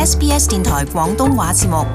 SBS 電台廣東話節目。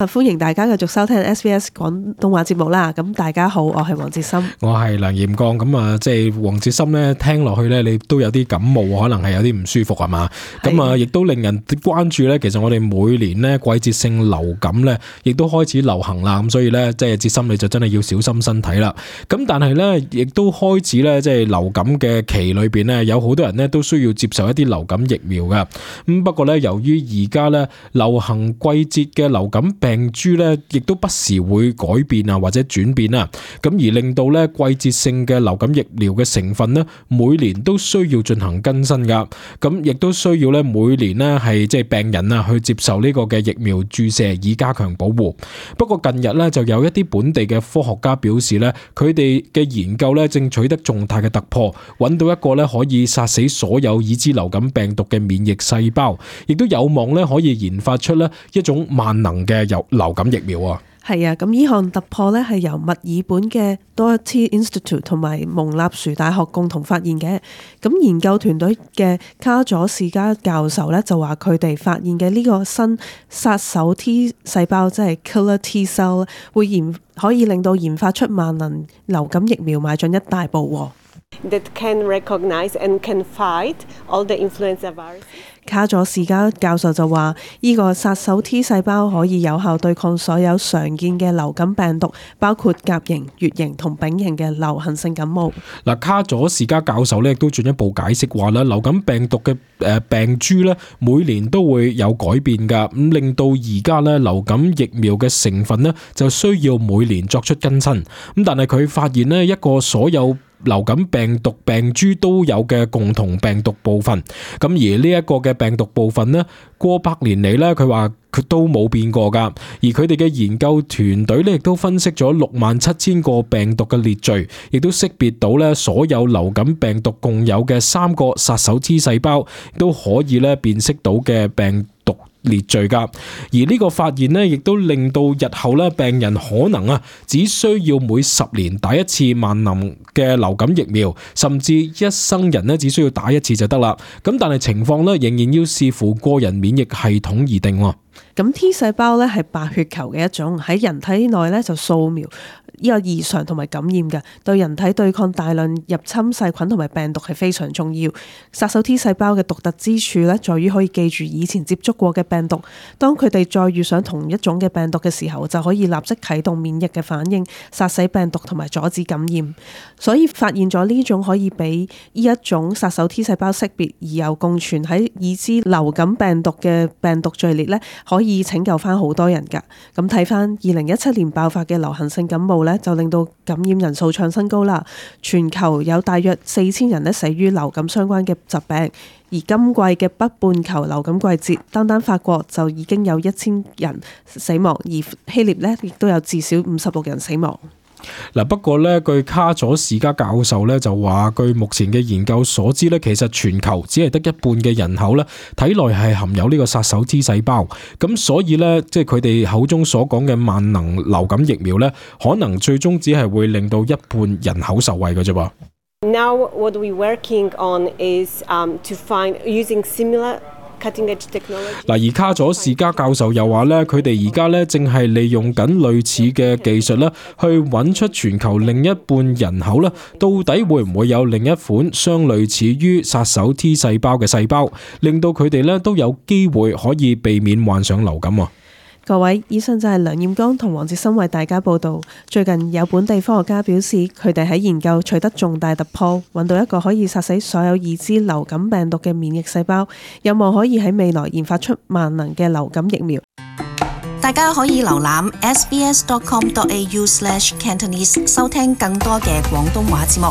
歡迎大家繼續收聽 SBS 廣東話節目啦。咁大家好，我係黃哲森，我係梁炎光。咁啊，即係黃哲森咧，聽落去咧，你都有啲感冒，可能係有啲唔舒服係嘛？咁啊，亦都令人關注咧。其實我哋每年咧季節性流感咧，亦都開始流行啦。咁所以咧，即係哲森你就真係要小心身體啦。咁但係咧，亦都開始咧，即係流感嘅期裏邊咧，有好多人咧都需要接受一啲流感疫苗嘅。咁不過咧，由於而家咧流行季節嘅流感病株咧，亦都不時會改變啊，或者轉變啊，咁而令到咧季節性嘅流感疫苗嘅成分咧，每年都需要進行更新噶，咁亦都需要咧每年咧係即係病人啊去接受呢個嘅疫苗注射以加強保護。不過近日咧就有一啲本地嘅科學家表示咧，佢哋嘅研究咧正取得重大嘅突破，揾到一個咧可以殺死所有已知流感病毒嘅免疫細胞，亦都有望咧可以研發出咧一種萬能嘅流感疫苗啊！係啊，咁呢項突破咧係由墨爾本嘅 Doherty Institute 同埋蒙納殊大學共同發現嘅。咁研究團隊嘅卡佐士加教授咧就話佢哋發現嘅呢個新殺手 T 細胞，即係 Killer T cell， 可以令到研發出萬能流感疫苗邁進一大步。That can recognize and can fight all the influenza virus. 卡佐士加教授就話：呢個殺手 T 細胞可以有效對抗所有常見嘅流感病毒，包括甲型、乙型同丙型嘅流行性感冒。嗱，卡佐士加教授咧亦都進一步解釋話啦，流感病毒嘅病株咧每年都會有改變㗎，咁令到而家咧流感疫苗嘅成分咧就需要每年作出更新。咁但係佢發現咧一個所有流感病毒病株都有嘅共同病毒部分，咁而呢一個嘅病毒部分呢，過百年嚟呢，佢話佢都冇變過噶。而佢哋嘅研究團隊呢，亦都分析咗67000個病毒嘅列序，亦都識別到呢所有流感病毒共有嘅3個殺手 T 細胞，都可以呢辨識到嘅病毒列序噶。而呢個發現呢，亦都令到日後呢病人可能只需要每10年打一次萬能嘅流感疫苗，甚至一生人呢只需要打一次就得啦。咁但係情況呢，仍然要視乎個人免疫系統而定。咁 T 細胞咧係白血球嘅一種，喺人體內咧就掃描呢個異常同埋感染嘅，對人體對抗大量入侵細菌同埋病毒係非常重要。殺手 T 細胞嘅獨特之處咧，在於可以記住以前接觸過嘅病毒，當佢哋再遇上同一種嘅病毒嘅時候，就可以立即啟動免疫嘅反應，殺死病毒同埋阻止感染。所以發現咗呢種可以俾呢一種殺手 T 細胞識別而又共存喺已知流感病毒嘅病毒序列咧，可以拯救翻好多人㗎。咁睇翻2017年爆發嘅流行性感冒咧，就令到感染人數創新高啦。全球有大約4000人咧死於流感相關嘅疾病。而今季嘅北半球流感季節，單法國就已經有1000人死亡，而希臘咧亦都有至少56人死亡。嗱，不過咧，據卡佐士加教授咧就話，據目前嘅研究所知咧，其實全球只係得一半嘅人口咧體內係含有呢個殺手 T 細胞，咁所以咧，即係佢哋口中所講嘅萬能流感疫苗咧，可能最終只係會令到一半人口受惠嘅啫噃。Now what we're working on is to find using similar嗱，而卡佐士加教授又話咧，佢哋而家咧正係利用緊類似嘅技術咧，去揾出全球另一半人口咧，到底會唔會有另一款相類似於殺手 T 細胞嘅細胞，令到佢哋咧都有機會可以避免患上流感。各位，以上就係梁艷剛同黃哲森為大家報道。最近有本地科學家表示，佢哋喺研究取得重大突破，揾到一個可以殺死所有已知流感病毒嘅免疫細胞，有望可以喺未來研發出萬能嘅流感疫苗。大家可以瀏覽 sbs.com.au/Cantonese 收聽更多嘅廣東話節目。